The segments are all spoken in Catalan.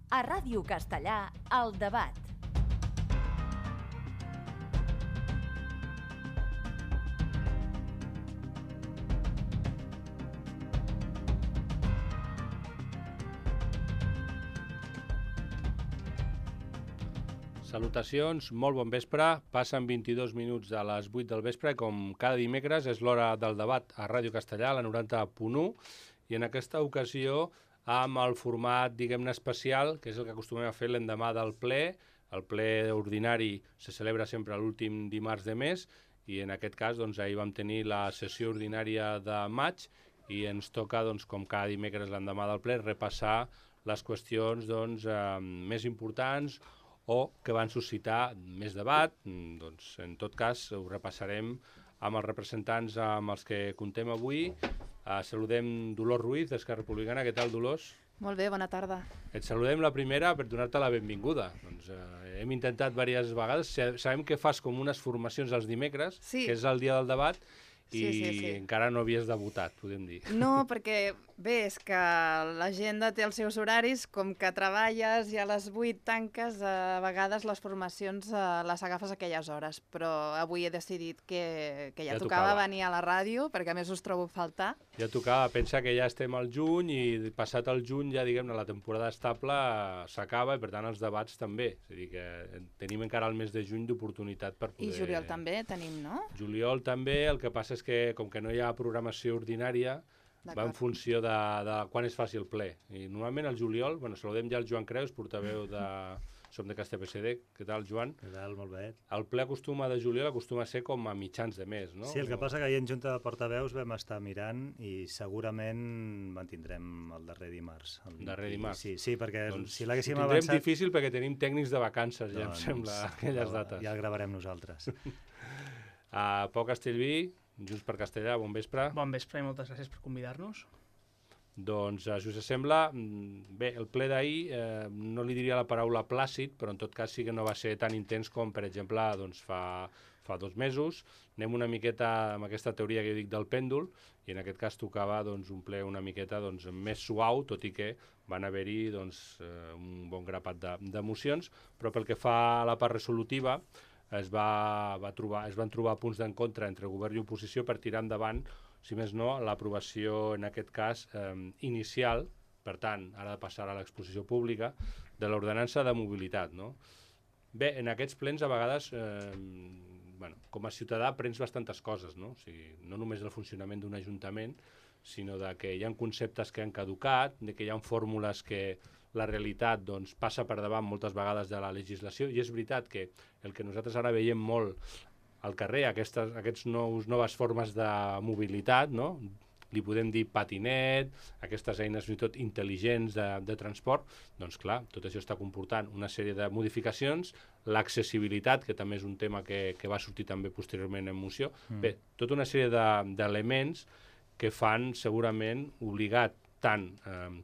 A Ràdio Castellà, El Debat. Salutacions, molt bon vespre. Passen 22 minuts a les 8 del vespre i com cada dimecres és l'hora del debat a Ràdio Castellà, la 90.1, i en aquesta ocasió amb el format, diguem-ne, especial, que és el que acostumem a fer l'endemà del ple. El ple ordinari se celebra sempre l'últim dimarts de mes i en aquest cas doncs, ahir vam tenir la sessió ordinària de maig i ens toca, doncs, com cada dimecres l'endemà del ple, repassar les qüestions doncs, més importants o que van suscitar més debat. Doncs, en tot cas, ho repassarem amb els representants amb els que contem avui. Saludem Dolors Ruiz, d'Esquerra Republicana. Què tal, Dolors? Molt bé, bona tarda. Et saludem la primera per donar-te la benvinguda. Doncs, hem intentat diverses vegades. Sabem que fas com unes formacions els dimecres, Sí. que és el dia del debat, i Sí. encara no havies debutat, podem dir. No, perquè bé, és que l'agenda té els seus horaris, com que treballes i a les 8 tanques, a vegades les formacions les agafes a aquelles hores, però avui he decidit que ja Ja tocava tocava. venir a la ràdio, perquè a més us trobo a faltar. Ja tocava, pensa que ja estem al juny i passat el juny ja, diguem-ne, la temporada estable s'acaba i per tant els debats també. És a dir, que tenim encara el mes de juny d'oportunitat per poder... I juliol també tenim, no? Juliol també, el que passa és que com que no hi ha programació ordinària, va en funció de quan es faci el ple. I normalment el juliol, bueno, saludem ja el Joan Creus, portaveu de... Som de CastellPSD. Què tal, Joan? Què tal? Molt bé. El ple de juliol acostuma a ser com a mitjans de mes, no? Sí, el que passa que ahir en Junta de Portaveus vam estar mirant i segurament mantindrem el darrer dimarts. Darrer dimarts. Sí, perquè doncs si l'haguéssim ho tindrem avançat... difícil perquè tenim tècnics de vacances, ja em sembla, aquelles dates. Ja el gravarem nosaltres. Pau Castellví, Junts per Castellà, bon vespre. Bon vespre i moltes gràcies per convidar-nos. Doncs, si us sembla, bé, el ple d'ahir no li diria la paraula plàcid, però en tot cas sí que no va ser tan intens com, per exemple, doncs, fa 2 mesos. Anem una miqueta amb aquesta teoria que jo dic del pèndol, i en aquest cas tocava doncs, un ple una miqueta doncs, més suau, tot i que van haver-hi doncs, un bon grapat d'emocions, però pel que fa a la part resolutiva, es van trobar punts d'encontre entre govern i oposició per tirar endavant, si més no, l'aprovació, en aquest cas, inicial, per tant, ara de passar a l'exposició pública, de l'ordenança de mobilitat, no? Bé, en aquests plens, a vegades, com a ciutadà, prens bastantes coses, no? O sigui, no només el funcionament d'un ajuntament, sinó de que hi ha conceptes que han caducat, de que hi ha fórmules que la realitat doncs, passa per davant moltes vegades de la legislació, i és veritat que el que nosaltres ara veiem molt al carrer, aquestes noves formes de mobilitat, no? Li podem dir patinet, aquestes eines fins i tot intel·ligents de transport, doncs clar, tot això està comportant una sèrie de modificacions, l'accessibilitat, que també és un tema que va sortir també posteriorment en moció, bé, tota una sèrie d'elements que fan segurament obligat tant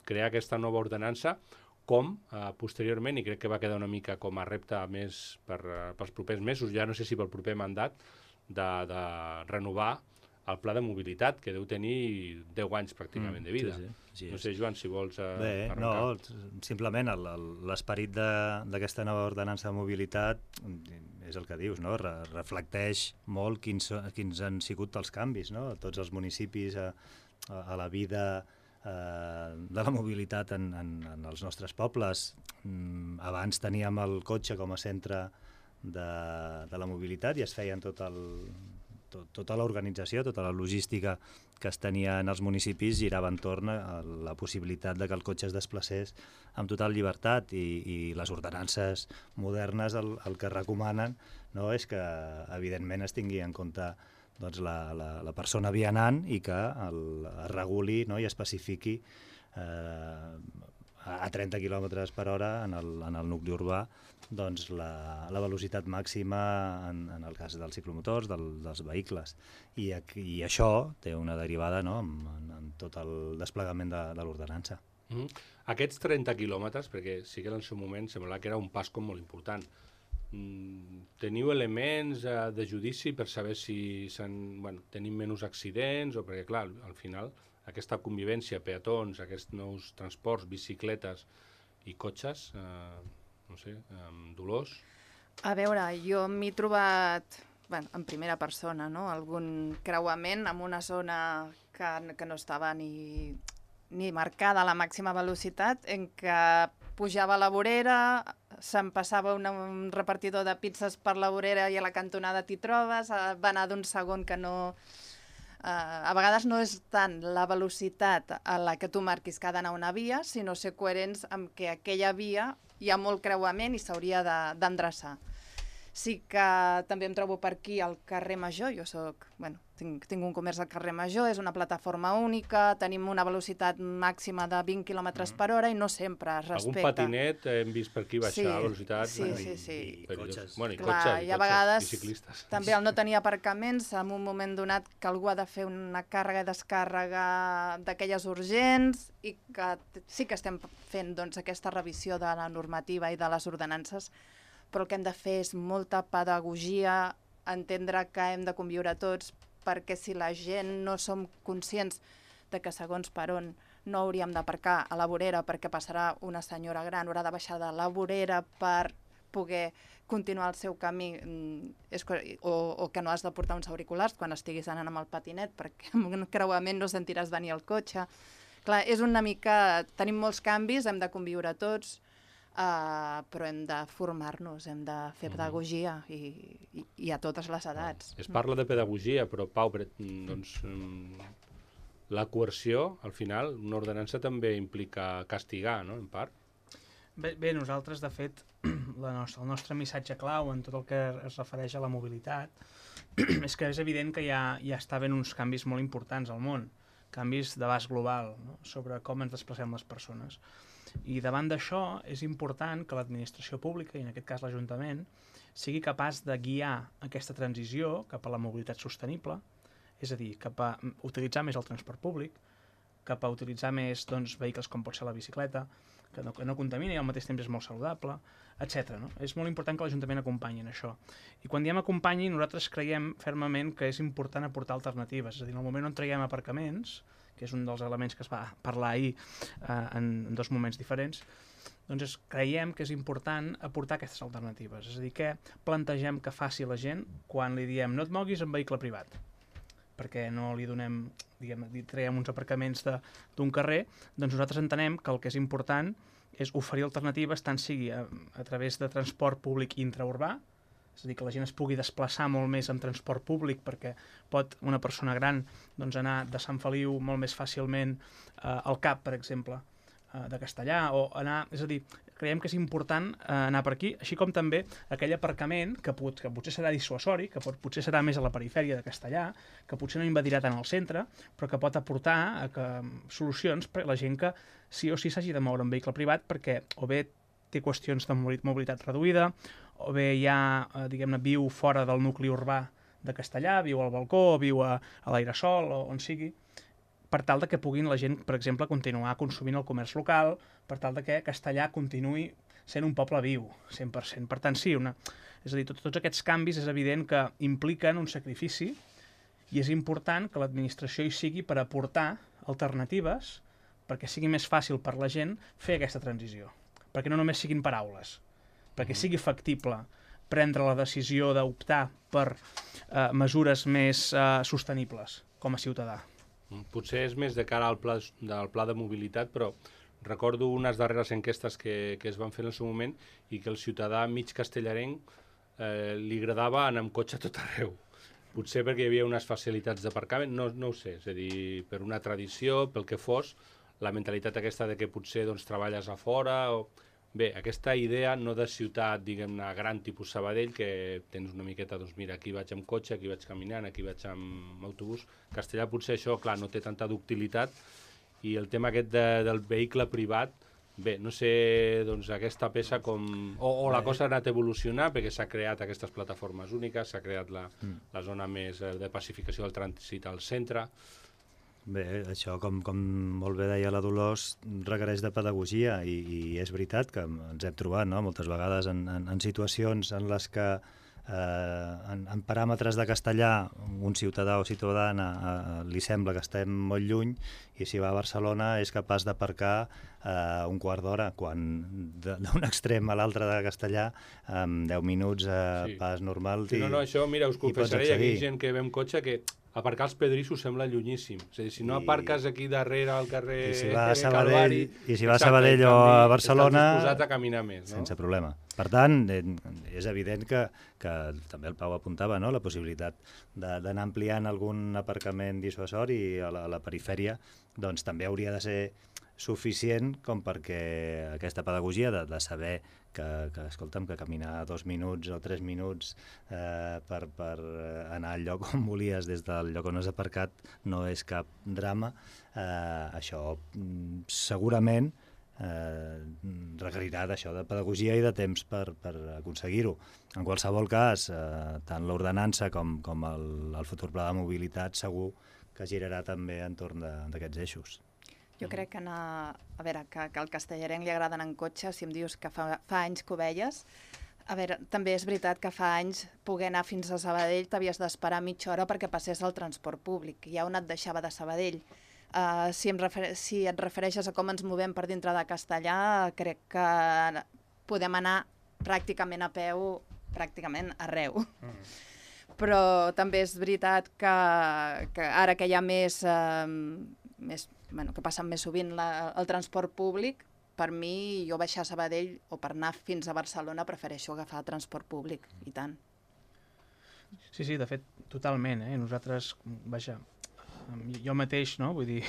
crear aquesta nova ordenança com posteriorment, i crec que va quedar una mica com a repte més pels propers mesos, ja no sé si pel proper mandat, de renovar el pla de mobilitat, que deu tenir 10 anys pràcticament de vida. Sí. No sé, Joan, si vols arrencar. No, simplement l'esperit d'aquesta nova ordenança de mobilitat és el que dius, no? Reflecteix molt quins han sigut els canvis, no? Tots els municipis a la vida de la mobilitat en els nostres pobles. Abans teníem el cotxe com a centre de la mobilitat i es feien tota l'organització, tota la logística que es tenia en els municipis girava entorn a la possibilitat de que el cotxe es desplacés amb total llibertat, i les ordenances modernes el que recomanen, no, és que evidentment es tingui en compte doncs, la persona vianant i que es reguli, no, i especifiqui a 30 km per hora en el nucli urbà doncs, la velocitat màxima en el cas dels ciclomotors, dels vehicles. I això té una derivada, no, en tot el desplegament de l'ordenança. Aquests 30 quilòmetres, perquè sí que en el seu moment semblava que era un pas com molt important, teniu elements de judici per saber si tenim menys accidents, o perquè clar, al final aquesta convivència, peatons, aquests nous transports, bicicletes, I cotxes, no sé, Dolors? A veure, jo m'he trobat en primera persona, no? Algun creuament en una zona que no estava ni marcada a la màxima velocitat, en què pujava a la vorera, se'm passava un repartidor de pizzas per la vorera i a la cantonada t'hi trobes, va anar d'un segon que no... a vegades no és tant la velocitat a la que tu marquis que ha d'anar una via, sinó ser coherents amb que aquella via hi ha molt creuament i s'hauria d'endreçar. Sí que també em trobo per aquí al carrer Major, jo tinc un comerç al carrer Major, és una plataforma única, tenim una velocitat màxima de 20 km per hora i no sempre es respecta. Algun patinet hem vist per aquí baixar velocitats. Sí. I cotxes. Bueno, i a vegades i ciclistes. també el no tenir aparcaments, en un moment donat que algú ha de fer una càrrega i descàrrega d'aquelles urgents i que sí que estem fent aquesta revisió de la normativa i de les ordenances, però el que hem de fer és molta pedagogia, entendre que hem de conviure tots, perquè si la gent no som conscients de que segons per on no hauríem d'aparcar a la vorera perquè passarà una senyora gran, haurà de baixar de la vorera per poder continuar el seu camí, o que no has de portar uns auriculars quan estiguis anant amb el patinet, perquè amb un creuament no sentiràs venir el cotxe. Clar, és una mica... Tenim molts canvis, hem de conviure tots, però hem de formar-nos, hem de fer pedagogia i a totes les edats. Es parla de pedagogia, però Pau, doncs, la coerció, al final, una ordenança també implica castigar, no?, en part. Bé, nosaltres, de fet, el nostre missatge clau en tot el que es refereix a la mobilitat és que és evident que ja està havent uns canvis molt importants al món, canvis d'abast global, no?, sobre com ens desplacem les persones. I davant d'això és important que l'administració pública, i en aquest cas l'Ajuntament, sigui capaç de guiar aquesta transició cap a la mobilitat sostenible, és a dir, cap a utilitzar més el transport públic, cap a utilitzar més vehicles com pot ser la bicicleta, que no contamina i al mateix temps és molt saludable, etc. No? És molt important que l'Ajuntament acompanyi en això. I quan diem acompanyi, nosaltres creiem fermament que és important aportar alternatives. És a dir, en el moment on traiem aparcaments, que és un dels elements que es va parlar ahir en dos moments diferents, doncs creiem que és important aportar aquestes alternatives. És a dir, què plantegem que faci la gent quan li diem no et moguis en vehicle privat, perquè no li donem, li traiem uns aparcaments d'un carrer, doncs nosaltres entenem que el que és important és oferir alternatives tant sigui a través de transport públic intraurbà, és a dir, que la gent es pugui desplaçar molt més en transport públic perquè pot una persona gran anar de Sant Feliu molt més fàcilment al CAP, per exemple, de Castellà, o anar... És a dir, creiem que és important anar per aquí, així com també aquell aparcament que potser serà dissuasori, que potser serà més a la perifèria de Castellà, que potser no invadirà tant el centre, però que pot aportar solucions per a la gent que sí o sí s'hagi de moure en vehicle privat perquè o bé té qüestions de mobilitat reduïda, o bé ja, viu fora del nucli urbà de Castellà, viu al balcó, o viu a l'airesol, o on sigui, per tal de que puguin la gent, per exemple, continuar consumint el comerç local, per tal de que Castellà continuï sent un poble viu, 100%. Per tant, sí, és a dir, tots aquests canvis és evident que impliquen un sacrifici i és important que l'administració hi sigui per aportar alternatives perquè sigui més fàcil per la gent fer aquesta transició. Perquè no només siguin paraules, perquè sigui factible prendre la decisió d'optar per mesures més sostenibles com a ciutadà. Potser és més de cara al pla de mobilitat, però recordo unes darreres enquestes que es van fer en el seu moment i que el ciutadà mig castellarenc li agradava anar amb cotxe a tot arreu. Potser perquè hi havia unes facilitats d'aparcament, no ho sé, és a dir, per una tradició, pel que fos, la mentalitat aquesta de que potser treballes a fora o... Bé, aquesta idea no de ciutat, diguem-ne, gran tipus Sabadell, que tens una miqueta, doncs mira, aquí vaig amb cotxe, aquí vaig caminant, aquí vaig amb autobús. Castellà potser això, clar, no té tanta ductilitat i el tema aquest del vehicle privat, bé, no sé, doncs aquesta peça com... O la cosa ha anat a evolucionar perquè s'ha creat aquestes plataformes úniques, s'ha creat la zona més de pacificació del trànsit al centre... Bé, això, com molt bé deia la Dolors, requereix de pedagogia i és veritat que ens hem trobat moltes vegades en situacions en les que en paràmetres de castellà un ciutadà o ciutadana li sembla que estem molt lluny, i si va a Barcelona és capaç d'aparcar un quart d'hora, quan d'un extrem a l'altre de castellà en 10 minuts pas normal sí, no, això, mira, us confessaré, hi ha gent que ve amb cotxe que aparcar els pedrissos sembla llunyíssim. És a dir, si no aparques aquí darrere al carrer Calvari... I si va a Sabadell o a Barcelona... Estàs disposat a caminar més, no? Sense problema. Per tant, és evident que també el Pau apuntava, no?, la possibilitat d'anar ampliant algun aparcament dissuasori a la perifèria, doncs també hauria de ser suficient com perquè aquesta pedagogia de saber que escolta'm, que caminar 2 minuts o 3 minuts per anar al lloc on volies des del lloc on has aparcat no és cap drama, això segurament requerirà d'això, de pedagogia i de temps per aconseguir-ho. En qualsevol cas, tant l'ordenança com el futur pla de mobilitat segur que girarà també entorn d'aquests eixos. Jo crec que a veure, que al castellarenc li agrada anar en cotxe, si em dius que fa anys que ho veies, a veure, també és veritat que fa anys poder anar fins a Sabadell t'havies d'esperar mitja hora perquè passés el transport públic, ja on et deixava de Sabadell. Si et refereixes a com ens movem per dintre de Castellà, crec que podem anar pràcticament a peu, pràcticament arreu. Però també és veritat que ara que hi ha que passen més sovint el transport públic, per mi, jo baixar a Sabadell o per anar fins a Barcelona prefereixo agafar transport públic, i tant. Sí, de fet, totalment. Nosaltres, vaja, jo mateix, no? Vull dir,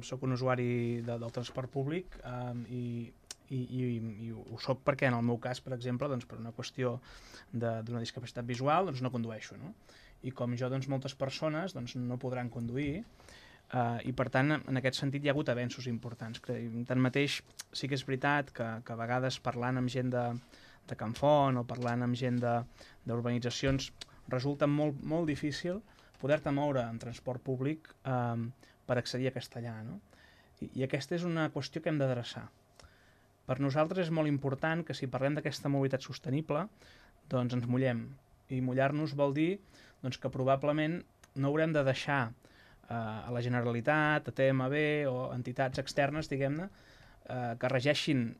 soc un usuari del transport públic i ho soc perquè en el meu cas, per exemple, doncs, per una qüestió d'una discapacitat visual, doncs no condueixo, no? I com jo, doncs, moltes persones doncs, no podran conduir, i per tant, en aquest sentit hi ha hagut avenços importants. Tanmateix, sí que és veritat que a vegades parlant amb gent de Can Font o parlant amb gent d'urbanitzacions resulta molt difícil poder-te moure en transport públic per accedir a Castellà, no? I aquesta és una qüestió que hem d'adreçar. Per nosaltres és molt important que si parlem d'aquesta mobilitat sostenible, doncs ens mullem. I mullar-nos vol dir doncs, que probablement no haurem de deixar a la Generalitat, a TMB o entitats externes, diguem-ne, que regeixin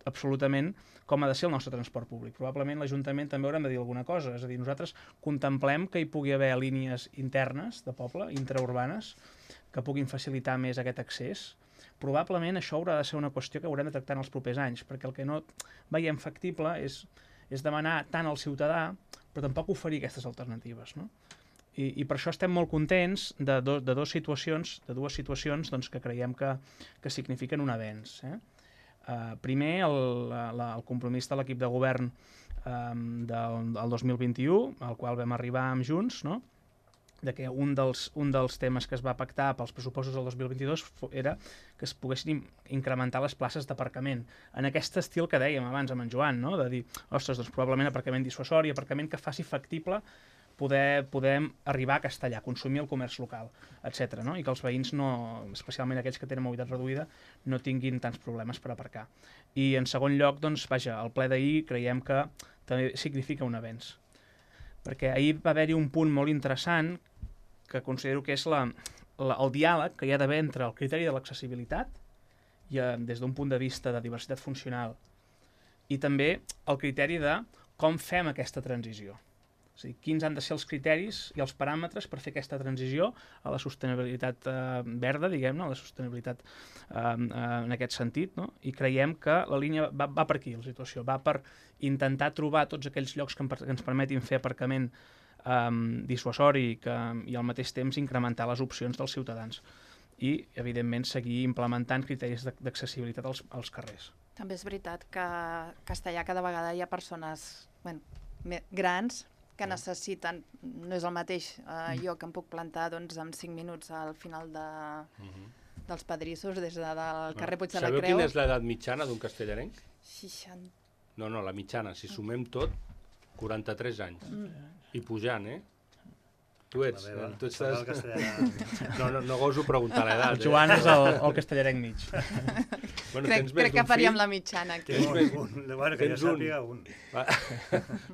absolutament com ha de ser el nostre transport públic. Probablement l'Ajuntament també haurem de dir alguna cosa, és a dir, nosaltres contemplem que hi pugui haver línies internes de poble, intraurbanes, que puguin facilitar més aquest accés. Probablement això haurà de ser una qüestió que haurem de tractar en els propers anys, perquè el que no veiem factible és demanar tant al ciutadà, però tampoc oferir aquestes alternatives, no? I per això estem molt contents de dues situacions doncs, que creiem que signifiquen un avenç. Primer, el compromís de l'equip de govern del 2021, al qual vam arribar amb Junts, no? De que un dels temes que es va pactar pels pressupostos del 2022 era que es poguessin incrementar les places d'aparcament, en aquest estil que dèiem abans amb en Joan, no? De dir, ostres, doncs probablement aparcament dissuasori, aparcament que faci factible podem arribar a Castellà, consumir el comerç local, etc. No? I que els veïns, especialment aquells que tenen mobilitat reduïda, no tinguin tants problemes per aparcar. I en segon lloc, doncs, vaja, el ple d'ahir creiem que també significa un avenç. Perquè ahir va haver-hi un punt molt interessant que considero que és el diàleg que hi ha d'haver entre el criteri de l'accessibilitat i des d'un punt de vista de diversitat funcional i també el criteri de com fem aquesta transició. És a dir, quins han de ser els criteris i els paràmetres per fer aquesta transició a la sostenibilitat verda, diguem-ne, a la sostenibilitat en aquest sentit, no? I creiem que la línia va per aquí, la situació, va per intentar trobar tots aquells llocs que ens permetin fer aparcament dissuasori i al mateix temps incrementar les opcions dels ciutadans i, evidentment, seguir implementant criteris d'accessibilitat als carrers. També és veritat que a Castellà cada vegada hi ha persones grans que necessiten, no és el mateix jo que em puc plantar doncs, en 5 minuts al final dels pedrissos des del carrer Puig de la Creu. Sabeu quina és l'edat mitjana d'un castellarenc? 60. No, la mitjana, si sumem tot, 43 anys. I pujant, Tu ets No goso preguntar l'edat. El Joan és el castellarenc mig. Bueno, crec que faríem la mitjana aquí. Bueno, que jo sàpiga un.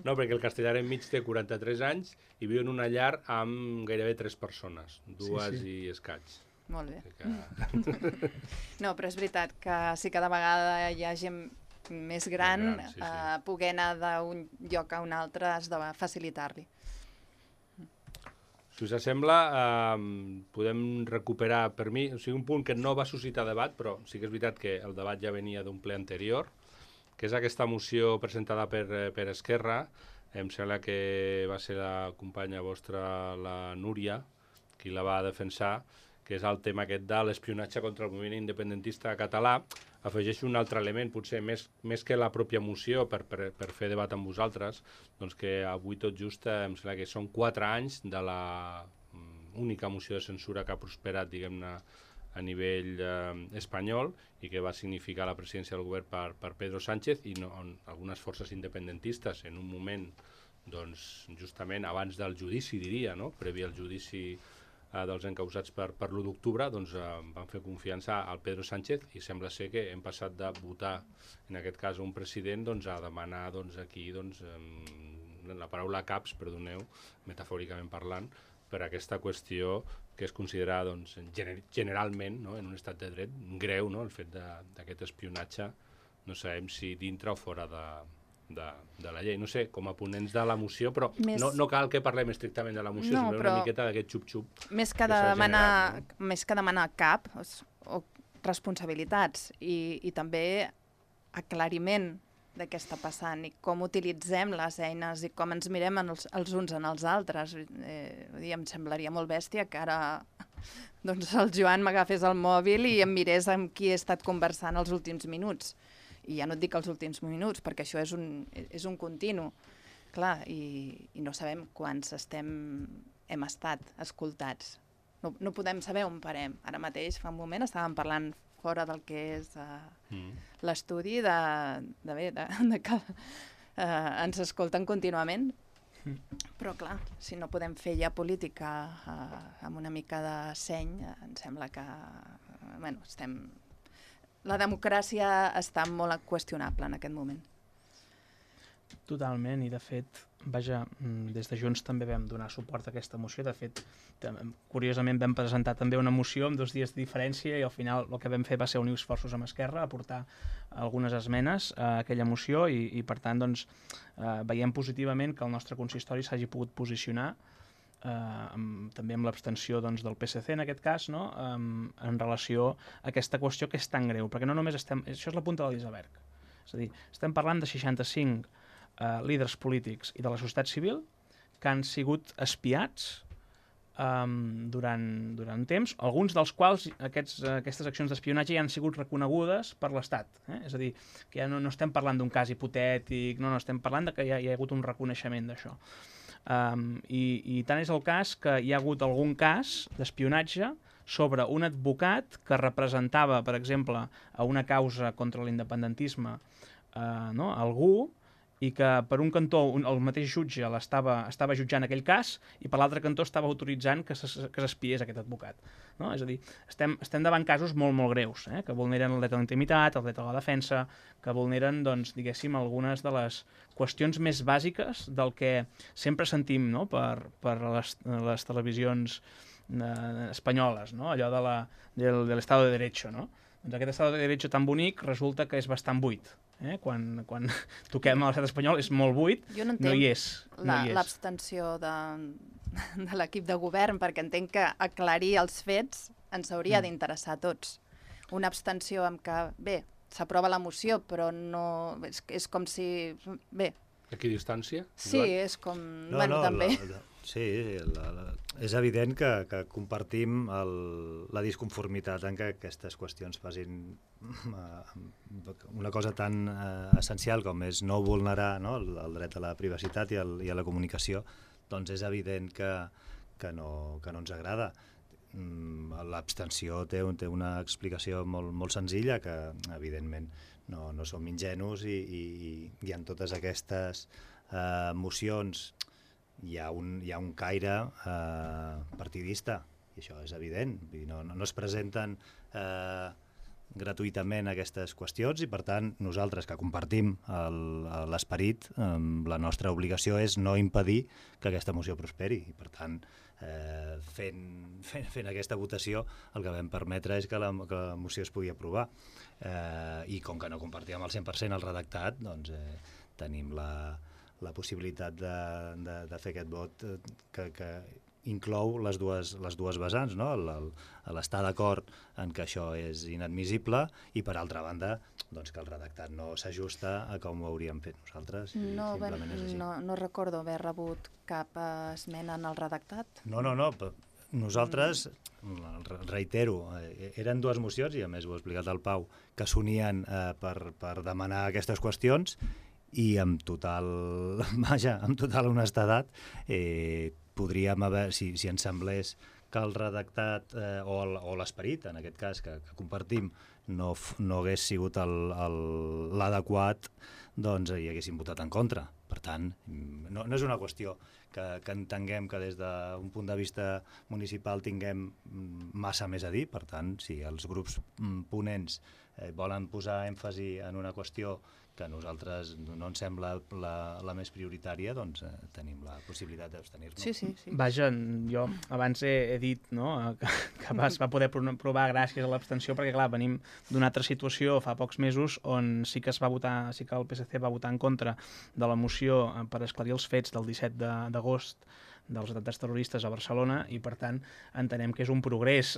No, perquè el castellà enmig té 43 anys i viu en una llar amb gairebé 3 persones, 2 i escaig. Molt bé. No, però és veritat que si cada vegada hi ha gent més gran, poder anar d'un lloc a un altre has de facilitar-li. Si us sembla, podem recuperar, per mi, o sigui, un punt que no va suscitar debat, però sí que és veritat que el debat ja venia d'un ple anterior, que és aquesta moció presentada per Esquerra. Em sembla que va ser la companya vostra, la Núria, qui la va defensar, que és el tema aquest de l'espionatge contra el moviment independentista català. Afegeixo un altre element, potser més que la pròpia moció, per fer debat amb vosaltres, doncs que avui tot just em sembla que són 4 anys de la única moció de censura que ha prosperat, diguem-ne, a nivell espanyol i que va significar la presidència del govern per Pedro Sánchez i on algunes forces independentistes en un moment, doncs, justament abans del judici, diria, no? Previ al judici dels encausats per l'1 d'octubre, doncs van fer confiança al Pedro Sánchez i sembla ser que hem passat de votar, en aquest cas, un president a demanar aquí la paraula caps, perdoneu, metafòricament parlant, per aquesta qüestió que es considera generalment, en un estat de dret, greu, el fet d'aquest espionatge, no sabem si dintre o fora de la llei. No sé, com a ponents de la moció, però no cal que parlem estrictament de la moció, sinó una miqueta d'aquest xup-xup. Més que demanar cap o responsabilitats i també aclariment de què està passant i com utilitzem les eines i com ens mirem els uns en els altres. Em semblaria molt bèstia que ara el Joan m'agafés el mòbil i em mirés amb qui he estat conversant els últims minuts. I ja no et dic els últims minuts, perquè això és un continu. Clar, i no sabem quants hem estat escoltats. No podem saber on parem. Ara mateix, fa un moment, estàvem parlant fora del que és l'estudi de que ens escolten contínuament. Però, clar, si no podem fer ja política amb una mica de seny, em sembla que la democràcia està molt qüestionable en aquest moment. Totalment, i de fet, vaja, des de Junts també vam donar suport a aquesta moció. De fet, curiosament vam presentar també una moció amb 2 dies de diferència i al final el que vam fer va ser unir esforços amb Esquerra, aportar algunes esmenes a aquella moció i per tant, veiem positivament que el nostre consistori s'hagi pogut posicionar també amb l'abstenció del PSC en aquest cas, en relació a aquesta qüestió que és tan greu, perquè no només això és la punta de l'iceberg, és a dir, estem parlant de 65 líders polítics i de la societat civil que han sigut espiats durant temps, alguns dels quals aquestes accions d'espionatge ja han sigut reconegudes per l'Estat. És a dir, que ja no estem parlant d'un cas hipotètic, no estem parlant que ja hi ha hagut un reconeixement d'això. I tant és el cas que hi ha hagut algun cas d'espionatge sobre un advocat que representava, per exemple, a una causa contra l'independentisme algú, i que per un cantó el mateix jutge estava jutjant aquell cas i per l'altre cantó estava autoritzant que s'espiés aquest advocat. És a dir, estem davant casos molt, molt greus, que vulneren el dret a la intimitat, el dret a la defensa, que vulneren, diguéssim, algunes de les qüestions més bàsiques del que sempre sentim per les televisions espanyoles, allò de l'Estado de Derecho. Doncs aquest Estado de Derecho tan bonic resulta que és bastant buit. Quan toquem a l'estat espanyol és molt buit, no hi és. L'abstenció de l'equip de govern, perquè entenc que aclarir els fets ens hauria d'interessar a tots. Una abstenció amb que, s'aprova la moció, però no... És com si... Equidistància? Sí, és com... també... Sí, és evident que compartim la disconformitat en que aquestes qüestions facin una cosa tan essencial com és no vulnerar el dret a la privacitat i a la comunicació, doncs és evident que no ens agrada. L'abstenció té una explicació molt senzilla, que evidentment no som ingenus i en totes aquestes mocions hi ha un caire partidista, i això és evident. No es presenten gratuïtament aquestes qüestions i, per tant, nosaltres que compartim l'esperit, la nostra obligació és no impedir que aquesta moció prosperi. I, per tant, fent aquesta votació, el que vam permetre és que la moció es pugui aprovar. I com que no compartíem al 100% el redactat, doncs tenim la possibilitat de fer aquest vot que inclou les dues vessants, no? L'estar d'acord en que això és inadmissible i, per altra banda, doncs que el redactat no s'ajusta a com ho hauríem fet nosaltres. Simplement és així. No recordo haver rebut cap esmena en el redactat. No. Nosaltres, reitero, eren dues mocions, i a més ho ha explicat el Pau, que s'unien per demanar aquestes qüestions, i amb total honestedat podríem haver, si ens semblés que el redactat o l'esperit, en aquest cas, que compartim, no hagués sigut l'adequat, doncs hi haguéssim votat en contra. Per tant, no és una qüestió que entenguem que des d'un punt de vista municipal tinguem massa més a dir. Per tant, si els grups ponents volen posar èmfasi en una qüestió que a nosaltres no ens sembla la més prioritària, doncs tenim la possibilitat d'abstenir-nos. Sí. Vaja, jo abans he dit, no, que es va poder provar gràcies a l'abstenció, perquè clar, venim d'una altra situació fa pocs mesos on sí que el PSC va votar en contra de la moció per esclarir els fets del 17 d'agost dels atemptats terroristes a Barcelona, i per tant entenem que és un progrés.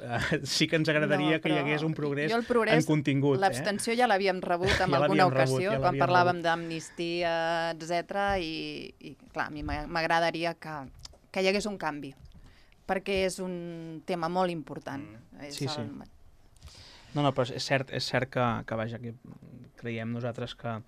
Sí que ens agradaria que hi hagués un progrés en contingut. L'abstenció ja l'havíem rebut en alguna ocasió, quan parlàvem d'amnistia, etc. I clar, a mi m'agradaria que hi hagués un canvi, perquè és un tema molt important. Sí. No, però és cert que vaja, que creiem nosaltres que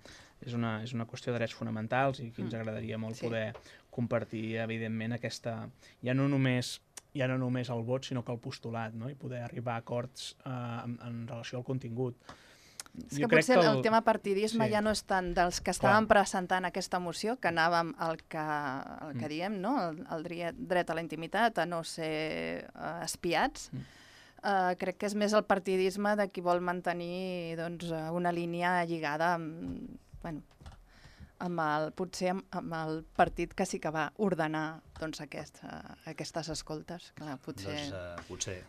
és una qüestió de drets fonamentals i que ens agradaria molt poder compartir, evidentment, aquesta... Ja no només el vot, sinó que el postulat, no? I poder arribar a acords en relació al contingut. És que potser el tema partidisme ja no és tant dels que estàvem presentant aquesta moció, que anàvem al que diem, no? El dret a la intimitat, a no ser espiats. Crec que és més el partidisme de qui vol mantenir una línia lligada potser amb el partit que sí que va ordenar aquestes escoltes. Clar, potser.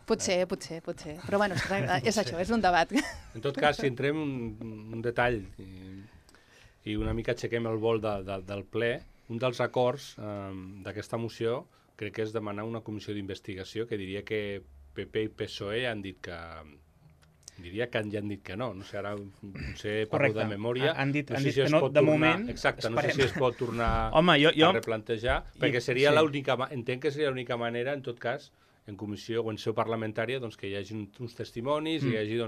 Però bueno, és això, és un debat. En tot cas, si entrem un detall i una mica aixequem el vol del ple, un dels acords d'aquesta moció crec que és demanar una comissió d'investigació, que diria que PP i PSOE han dit que... Diria que ja han dit que no. No sé, ara potser parlo de memòria. Han dit que no, de moment. Exacte, no sé si es pot tornar a replantejar, perquè seria l'única... Entenc que seria l'única manera, en tot cas, en comissió o en seu parlamentària, que hi hagi uns testimonis, i hi hagi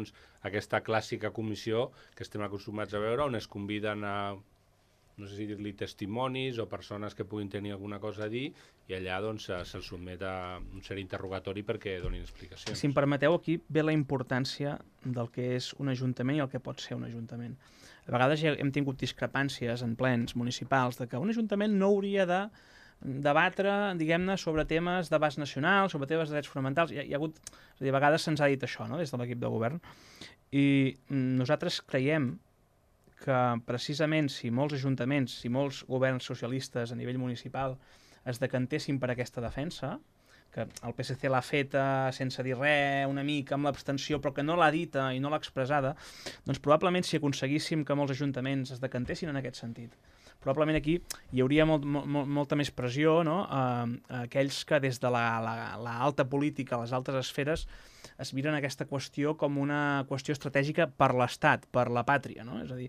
aquesta clàssica comissió que estem acostumats a veure, on es conviden a... no sé si dir-li testimonis o persones que puguin tenir alguna cosa a dir, i allà se'ls sotmet a un cert interrogatori perquè donin explicacions. Si em permeteu, aquí ve la importància del que és un ajuntament i el que pot ser un ajuntament. A vegades ja hem tingut discrepàncies en plens municipals de que un ajuntament no hauria de debatre, diguem-ne, sobre temes d'abast nacional, sobre temes de drets fonamentals. Hi ha hagut, és a dir, a vegades se'ns ha dit això, no?, des de l'equip de govern. I nosaltres creiem que precisament si molts ajuntaments, si molts governs socialistes a nivell municipal es decantessin per aquesta defensa, que el PSC l'ha feta sense dir res, una mica amb l'abstenció, però que no l'ha dita i no l'ha expressada, doncs probablement si aconseguíssim que molts ajuntaments es decantessin en aquest sentit, probablement aquí hi hauria molta més pressió, no?, a aquells que des de l'alta política, les altes esferes, es miren aquesta qüestió com una qüestió estratègica per l'Estat, per la pàtria, no? És a dir,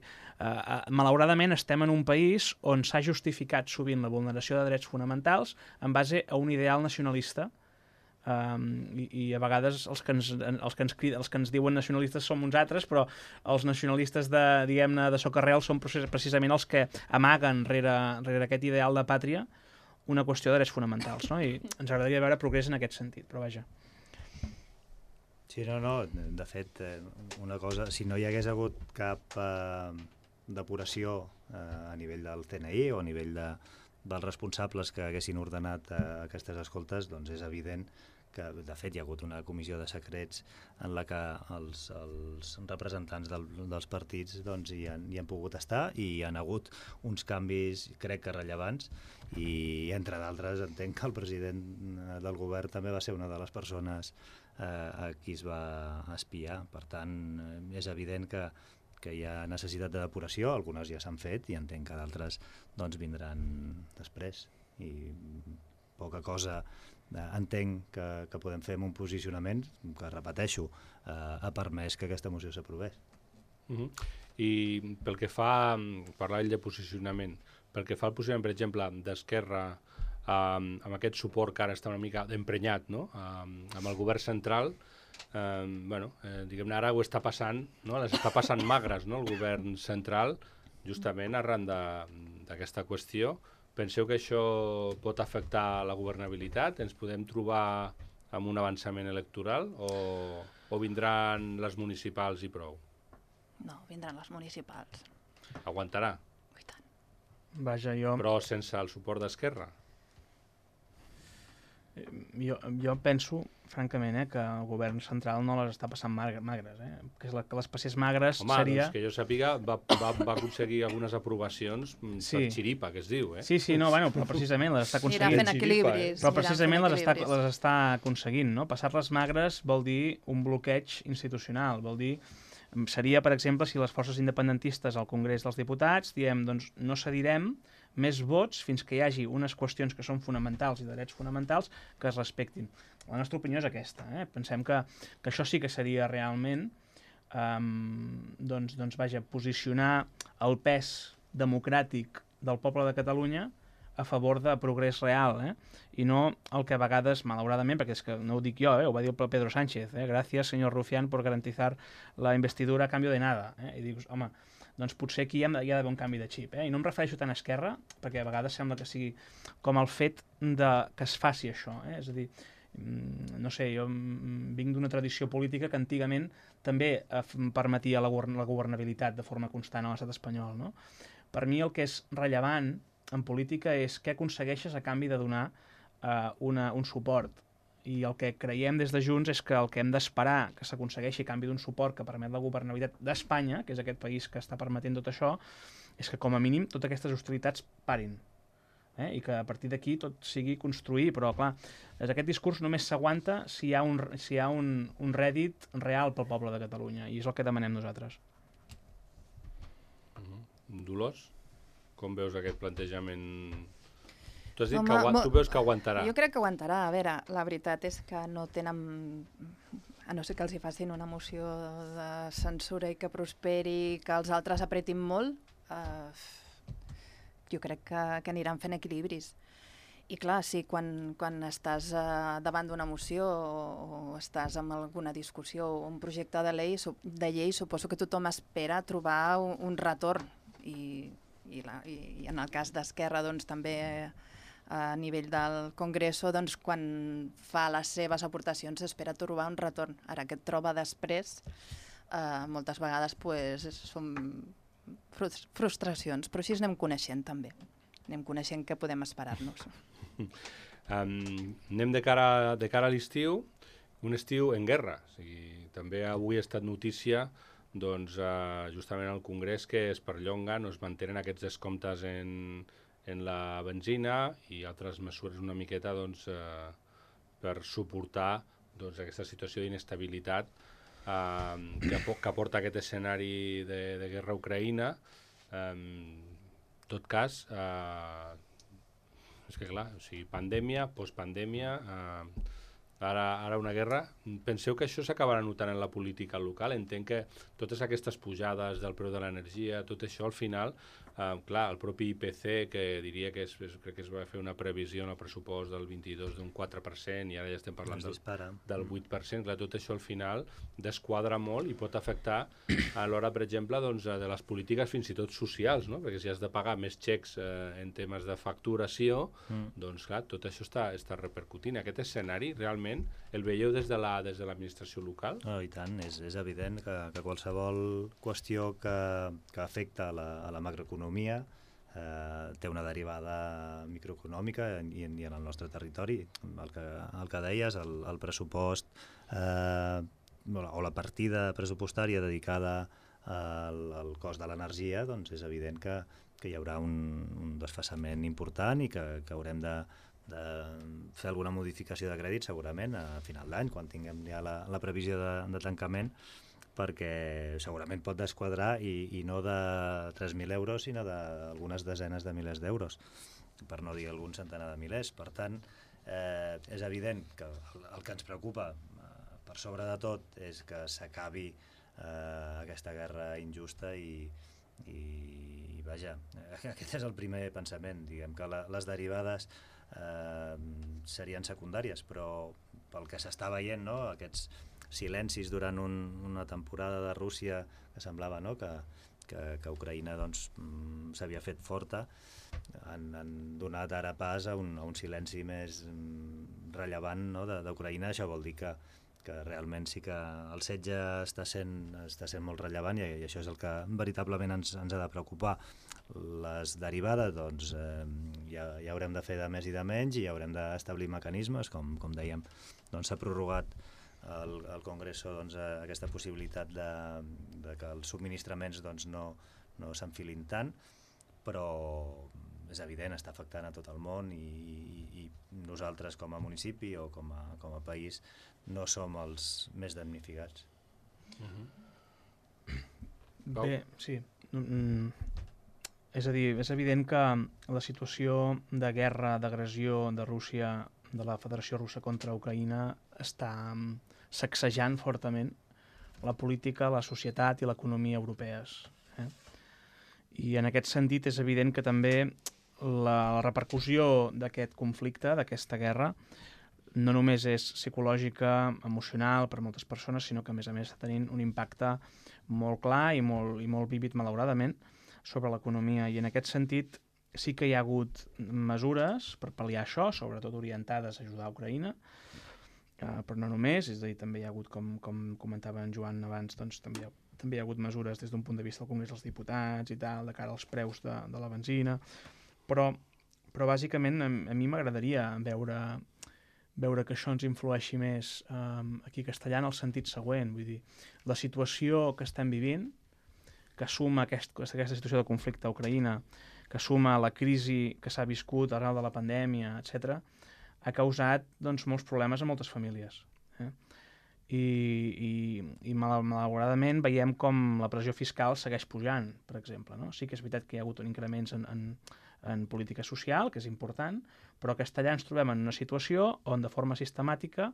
malauradament estem en un país on s'ha justificat sovint la vulneració de drets fonamentals en base a un ideal nacionalista, i a vegades els que ens diuen nacionalistes som uns altres, però els nacionalistes de socarrel són precisament els que amaguen rere aquest ideal de pàtria una qüestió de drets fonamentals, no? I ens agradaria veure progrés en aquest sentit, però vaja. Sí, no, de fet, una cosa, si no hi hagués hagut cap depuració a nivell del CNI o a nivell dels responsables que haguessin ordenat aquestes escoltes, doncs és evident que de fet hi ha hagut una comissió de secrets en la que els representants dels partits doncs, hi han pogut estar i hi han hagut uns canvis, crec que rellevants, i entre d'altres entenc que el president del govern també va ser una de les persones a qui es va espiar. Per tant, és evident que hi ha necessitat de depuració, algunes ja s'han fet i entenc que d'altres doncs, vindran després. I poca cosa entenc que podem fer amb un posicionament que, repeteixo, ha permès que aquesta moció s'aprovés. I pel que fa, parlar de posicionament, pel que fa al posicionament, per exemple, d'Esquerra, amb aquest suport que ara està una mica emprenyat, no? Amb el govern central, diguem-ne, ara ho està passant, no? Les està passant magres, no? El govern central, justament arran d'aquesta qüestió. Penseu que això pot afectar la governabilitat? Ens podem trobar amb un avançament electoral o vindran les municipals i prou? No, vindran les municipals. Aguantarà? I tant. Vaja, jo... Però sense el suport d'Esquerra? Jo penso, francament, que el govern central no les està passant magres, que les passés magres seria... Doncs que jo sàpiga, va aconseguir algunes aprovacions per xiripa, que es diu, Sí, no, però precisament les està aconseguint. Anirà fent equilibris. Però precisament les està aconseguint, no? Passar-les magres vol dir un bloqueig institucional, vol dir... Seria, per exemple, si les forces independentistes al Congrés dels Diputats diem, doncs, no cedirem més vots fins que hi hagi unes qüestions que són fonamentals i de drets fonamentals que es respectin. La nostra opinió és aquesta. Pensem que això sí que seria realment posicionar el pes democràtic del poble de Catalunya a favor de progrés real, i no el que a vegades, malauradament, perquè és que no ho dic jo, ho va dir el Pedro Sánchez, gràcies, senyor Rufián, por garantizar la investidura a cambio de nada. I dius, home, doncs potser aquí hi ha d'haver un canvi de xip. I no em refereixo tant a Esquerra, perquè a vegades sembla que sigui com el fet que es faci això. És a dir, no sé, jo vinc d'una tradició política que antigament també permetia la governabilitat de forma constant a l'estat espanyol. No? Per mi el que és rellevant en política és què aconsegueixes a canvi de donar un suport. I el que creiem des de Junts és que el que hem d'esperar que s'aconsegueixi a canvi d'un suport que permet la governabilitat d'Espanya, que és aquest país que està permetent tot això, és que com a mínim totes aquestes hostilitats parin. I que a partir d'aquí tot sigui construir, però clar, aquest discurs només s'aguanta si hi ha un rèdit real pel poble de Catalunya, i és el que demanem nosaltres. Dolors? Com veus aquest plantejament? Tu has dit que tu veus que aguantarà. Jo crec que aguantarà. A veure, la veritat és que no tenen... A no ser que els hi facin una moció de censura i que prosperi, que els altres apretin molt, jo crec que aniran fent equilibris. I clar, sí, quan estàs davant d'una moció o estàs en alguna discussió o un projecte de llei, suposo que tothom espera trobar un retorn. I en el cas d'Esquerra doncs, també a nivell del Congreso, doncs, quan fa les seves aportacions s'espera trobar un retorn. Ara que et troba després, moltes vegades pues, són frustracions, però així anem coneixent també. Anem coneixent què podem esperar-nos. Anem de cara a l'estiu, un estiu en guerra. O sigui, també avui ha estat notícia doncs, justament al Congrés que es perllonguen o es mantenen aquests descomptes en la benzina i altres mesures una miqueta doncs, per suportar doncs, aquesta situació d'inestabilitat que porta aquest escenari de guerra a Ucraïna. En tot cas, és que clar, o sigui, pandèmia, postpandèmia, ara una guerra. Penseu que això s'acabarà notant en la política local? Entenc que totes aquestes pujades del preu de l'energia, tot això al final, clar, el propi IPC, que diria que crec que es va fer una previsió en el pressupost del 22 d'un 4% i ara ja estem parlant del 8%, clar, tot això al final desquadra molt i pot afectar a l'hora, per exemple, doncs, de les polítiques fins i tot socials, no? Perquè si has de pagar més xecs en temes de facturació, doncs clar, tot això està repercutint. Aquest escenari realment el veieu des de l'administració local? I tant, és evident que qualsevol qüestió que afecta a la macroeconomia té una derivada microeconòmica i en el nostre territori. El que deies, el pressupost o la partida pressupostària dedicada al cost de l'energia, doncs és evident que hi haurà un desfasament important i que haurem de fer alguna modificació de crèdit segurament a final d'any, quan tinguem ja la previsió de tancament, perquè segurament pot desquadrar i no de 3.000 euros, sinó d'algunes desenes de milers d'euros, per no dir algun centenar de milers. Per tant, és evident que el que ens preocupa per sobre de tot és que s'acabi aquesta guerra injusta i vaja, aquest és el primer pensament. Diguem que les derivades serien secundàries, però pel que s'està veient, no? Aquests silencis durant una temporada de Rússia que semblava, no? que Ucraïna doncs, s'havia fet forta, han donat ara pas a un silenci més rellevant, no? d'Ucraïna. Això vol dir que realment sí que el setge està sent molt rellevant i això és el que veritablement ens ha de preocupar. Les derivades doncs, ja haurem de fer de més i de menys i haurem d'establir mecanismes, com dèiem, doncs s'ha prorrogat al Congreso doncs, aquesta possibilitat de que els subministraments doncs, no s'enfilin tant, però és evident, està afectant a tot el món i nosaltres com a municipi o com a país no som els més damnificats. Bé, sí. És a dir, és evident que la situació de guerra, d'agressió de Rússia, de la Federació Russa contra Ucraïna, està sacsejant fortament la política, la societat i l'economia europees. I en aquest sentit és evident que també la repercussió d'aquest conflicte, d'aquesta guerra, no només és psicològica, emocional per a moltes persones, sinó que a més està tenint un impacte molt clar i molt vívid, malauradament, sobre l'economia. I en aquest sentit sí que hi ha hagut mesures per pal·liar això, sobretot orientades a ajudar a Ucraïna, però no només, és a dir, també hi ha hagut, com comentava en Joan abans, doncs també hi ha hagut mesures des d'un punt de vista del Congrés dels Diputats i tal, de cara als preus de la benzina, però bàsicament a mi m'agradaria veure que això ens influeixi més aquí a Castellà en el sentit següent, vull dir, la situació que estem vivint, que suma aquesta situació de conflicte a Ucraïna, que suma la crisi que s'ha viscut arrel de la pandèmia, etc., ha causat doncs, molts problemes a moltes famílies. I malauradament veiem com la pressió fiscal segueix pujant, per exemple. No? Sí que és veritat que hi ha hagut increments en política social, que és important, però a Castellà ens trobem en una situació on de forma sistemàtica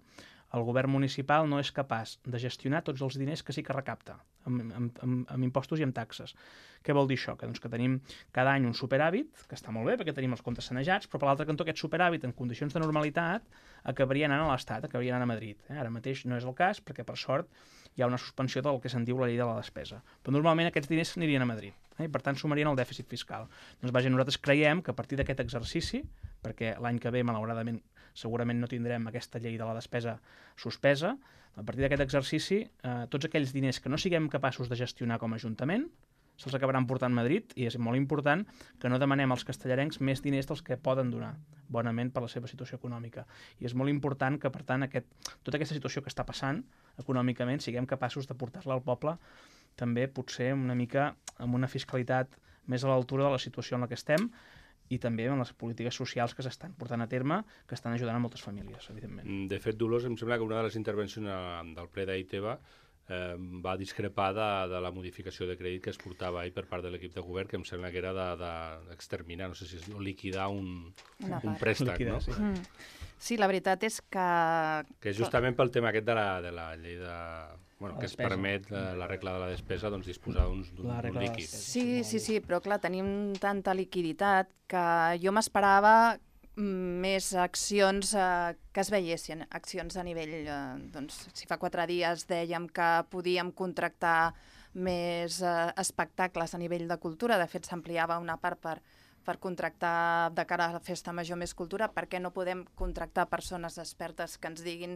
el govern municipal no és capaç de gestionar tots els diners que sí que recapta, amb impostos i amb taxes. Què vol dir això? Doncs que tenim cada any un superàvit, que està molt bé perquè tenim els comptes sanejats, però per l'altre cantó aquest superàvit en condicions de normalitat acabaria anant a l'Estat, acabaria anant a Madrid. Ara mateix no és el cas perquè per sort hi ha una suspensió del que se'n diu la llei de la despesa. Però normalment aquests diners anirien a Madrid i per tant sumarien al dèficit fiscal. Doncs vaja, nosaltres creiem que a partir d'aquest exercici, perquè l'any que ve malauradament segurament no tindrem aquesta llei de la despesa suspesa, a partir d'aquest exercici tots aquells diners que no siguem capaços de gestionar com a Ajuntament se'ls acabaran portant a Madrid i és molt important que no demanem als castellarencs més diners dels que poden donar, bonament per la seva situació econòmica. I és molt important que, per tant, tota aquesta situació que està passant econòmicament siguem capaços de portar-la al poble també potser una mica amb una fiscalitat més a l'altura de la situació en la que estem i també amb les polítiques socials que s'estan portant a terme, que estan ajudant a moltes famílies, evidentment. De fet, Dolors, em sembla que una de les intervencions del ple d'ahir teva va discrepar de la modificació de crèdit que es portava ahir per part de l'equip de govern, que em sembla que era d'exterminar, no sé si és liquidar un préstec, liquidar, no? Sí. Sí, la veritat és que... Que és justament pel tema aquest de la llei de... Bueno, que es permet la regla de la despesa doncs, disposar d'un líquid. Sí, però clar, tenim tanta liquiditat que jo m'esperava més accions que es veiessin, accions a nivell, doncs, si fa 4 dies dèiem que podíem contractar més espectacles a nivell de cultura, de fet s'ampliava una part per per contractar de cara a la Festa Major Més Cultura, per què no podem contractar persones expertes que ens diguin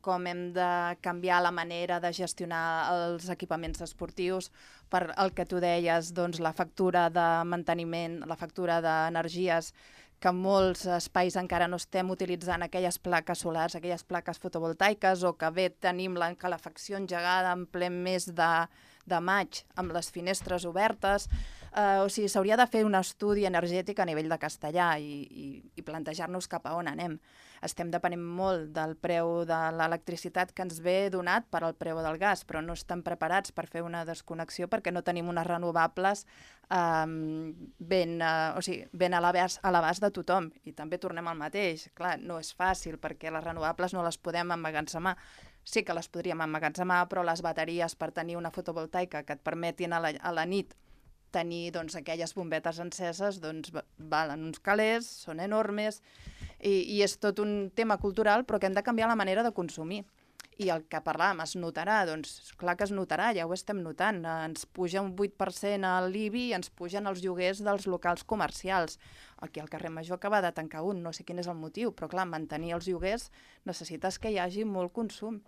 com hem de canviar la manera de gestionar els equipaments esportius, per el que tu deies, doncs, la factura de manteniment, la factura d'energies, que en molts espais encara no estem utilitzant aquelles plaques solars, aquelles plaques fotovoltaiques, o que bé tenim la calefacció engegada en ple mes de maig amb les finestres obertes. O sigui, s'hauria de fer un estudi energètic a nivell de Castellà i plantejar-nos cap a on anem. Estem depenent molt del preu de l'electricitat que ens ve donat per al preu del gas, però no estem preparats per fer una desconnexió perquè no tenim unes renovables ben a l'abast de tothom. I també tornem al mateix. Clar, no és fàcil perquè les renovables no les podem emmagatzemar. Sí que les podríem emmagatzemar, però les bateries per tenir una fotovoltaica que et permetin a la nit tenir aquelles bombetes enceses valen uns calés, són enormes, i és tot un tema cultural, però que hem de canviar la manera de consumir. I el que parlàvem, es notarà? Doncs clar que es notarà, ja ho estem notant. Ens puja un 8% a l'IBI i ens pugen els lloguers dels locals comercials. Aquí al carrer Major acaba de tancar un, no sé quin és el motiu, però clar, mantenir els lloguers necessites que hi hagi molt consum,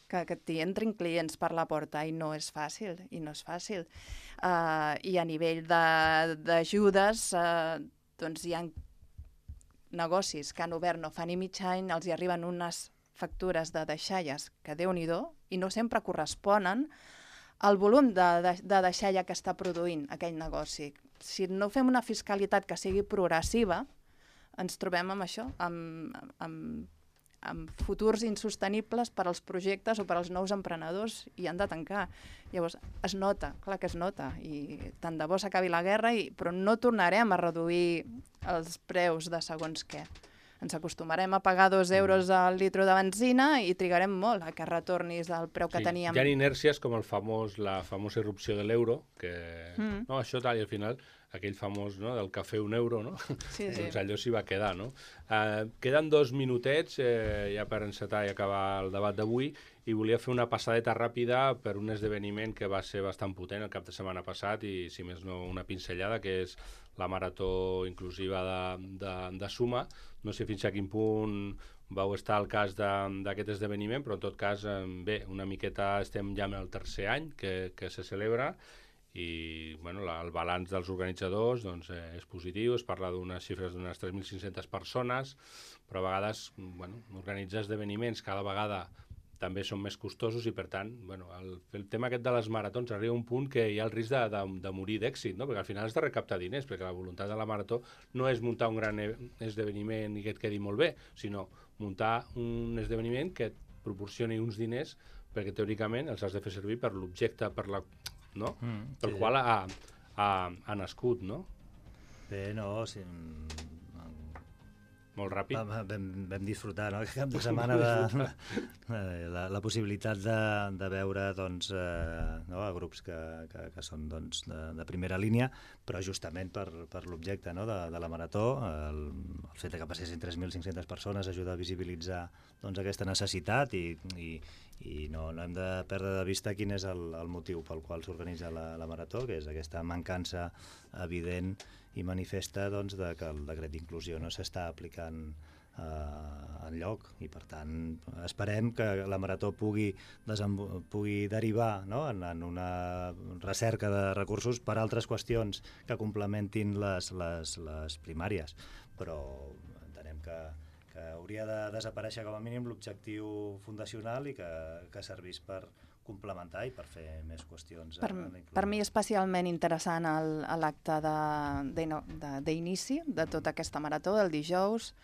que t'hi entrin clients per la porta, i no és fàcil, I a nivell d'ajudes, doncs hi ha negocis que han obert no fa ni mig any, els hi arriben unes factures de deixalles que Déu-n'hi-do, i no sempre corresponen al volum de deixalla que està produint aquell negoci. Si no fem una fiscalitat que sigui progressiva, ens trobem amb això, amb futurs insostenibles per als projectes o per als nous emprenedors, i han de tancar. Llavors, es nota, clar que es nota, i tant de bo s'acabi la guerra, però no tornarem a reduir els preus de segons què. Ens acostumarem a pagar 2 euros al litro de benzina i trigarem molt a que retornis al preu que teníem. Hi ha inèrcies com la famosa irrupció de l'euro, que no, això tal, i al final aquell famós, no, del cafè 1 euro, no? Sí. Doncs allò s'hi va quedar, no? Queden 2 minutets ja per encetar i acabar el debat d'avui, i volia fer una passadeta ràpida per un esdeveniment que va ser bastant potent el cap de setmana passat, i si més no una pinzellada, que és la marató inclusiva de Suma. No sé fins a quin punt vau estar al cas d'aquest esdeveniment, però en tot cas, bé, una miqueta estem ja en el tercer any que se celebra, i bueno, el balanç dels organitzadors és positiu. Es parla d'unes xifres d'unes 3.500 persones, però a vegades organitzar esdeveniments cada vegada també són més costosos, i per tant el tema aquest de les maratons arriba a un punt que hi ha el risc de morir d'èxit, no? Perquè al final has de recaptar diners, perquè la voluntat de la marató no és muntar un gran esdeveniment i que et quedi molt bé, sinó muntar un esdeveniment que et proporcioni uns diners, perquè teòricament els has de fer servir per l'objecte, pel qual ha nascut, no? Bé, no, sí, molt ràpid. Vam disfrutar, no?, aquest cap de setmana la possibilitat de veure a grups que són de primera línia, però justament per l'objecte de la marató, el fet que passessin 3.500 persones ajuda a visibilitzar aquesta necessitat, i no hem de perdre de vista quin és el motiu pel qual s'organitza la marató, que és aquesta mancança evident i manifesta de que el decret d'inclusió no s'està aplicant enlloc, i per tant esperem que la marató pugui derivar en una recerca de recursos per altres qüestions que complementin les primàries, però entenem que hauria de desaparèixer com a mínim l'objectiu fundacional i que servís per complementar i per fer més qüestions. Per mi especialment interessant l'acte d'inici de tota aquesta marató, del dijous.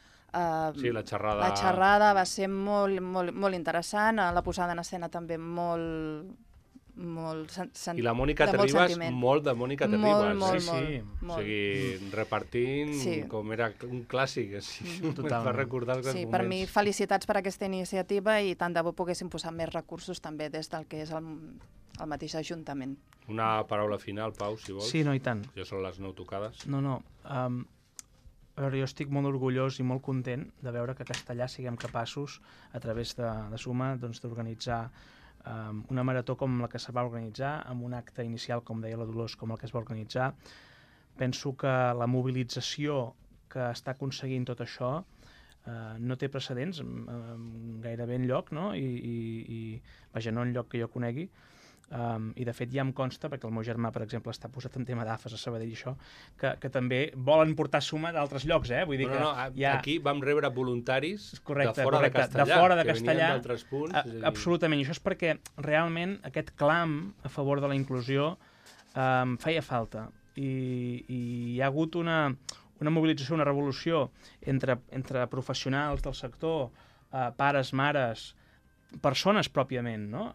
Sí, la xerrada. La xerrada va ser molt, molt, molt interessant, la posada en escena també molt I la Mònica Terribas, molt de Mònica Terribas. Molt. O sigui, repartint com era un clàssic, per recordar els moments. Per mi, felicitats per aquesta iniciativa, i tant de bo poguéssim posar més recursos també des del que és el mateix Ajuntament. Una paraula final, Pau, si vols. Sí, no, i tant. Ja són les 9 tocades. No. A veure, jo estic molt orgullós i molt content de veure que a Castellà siguem capaços, a través de Suma, d'organitzar una marató com la que se va organitzar, amb un acte inicial, com deia la Dolors, com el que es va organitzar, penso que la mobilització que està aconseguint tot això no té precedents gairebé enlloc, no? I vaja, no enlloc que jo conegui. I de fet ja em consta, perquè el meu germà, per exemple, està posat en tema d'AFES a Sabadell i això, que també volen portar suma d'altres llocs, Vull dir que aquí vam rebre voluntaris de fora de Castellar, de fora de que Castellar, venien d'altres punts. Absolutament, i això és perquè realment aquest clam a favor de la inclusió feia falta, i hi ha hagut una mobilització, una revolució entre professionals del sector, pares, mares, persones pròpiament, no?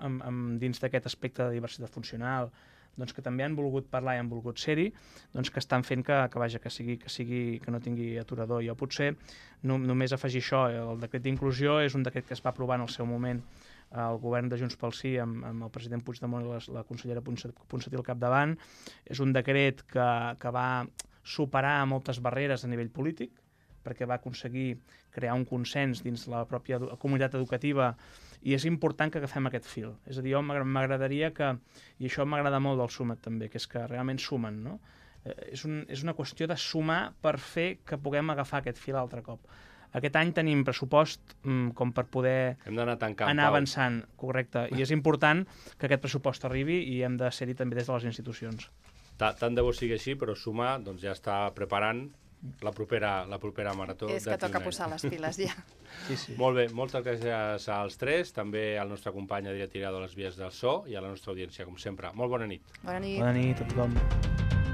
Dins d'aquest aspecte de diversitat funcional, doncs que també han volgut parlar i han volgut ser-hi, doncs que estan fent que no tingui aturador. Jo potser només afegir això, el decret d'inclusió és un decret que es va aprovar en el seu moment el govern de Junts pel Sí amb el president Puigdemont i la consellera Ponsatí al capdavant. És un decret que va superar moltes barreres a nivell polític, perquè va aconseguir crear un consens dins la pròpia comunitat educativa, i és important que agafem aquest fil. És a dir, jo m'agradaria que, i això m'agrada molt del Suma't també, que és que realment sumen, no? És una qüestió de sumar per fer que puguem agafar aquest fil altre cop. Aquest any tenim pressupost com per poder anar avançant, correcte, i és important que aquest pressupost arribi i hem de ser-hi també des de les institucions. Tant de bo sigui així, però Sumar doncs, ja està preparant la propera marató. És que toca posar les piles ja. Sí. Molt bé, moltes gràcies als tres, també al nostre company Adrià Tirado a les vies del so i a la nostra audiència, com sempre. Molt bona nit. Bona nit. Bona nit a tothom.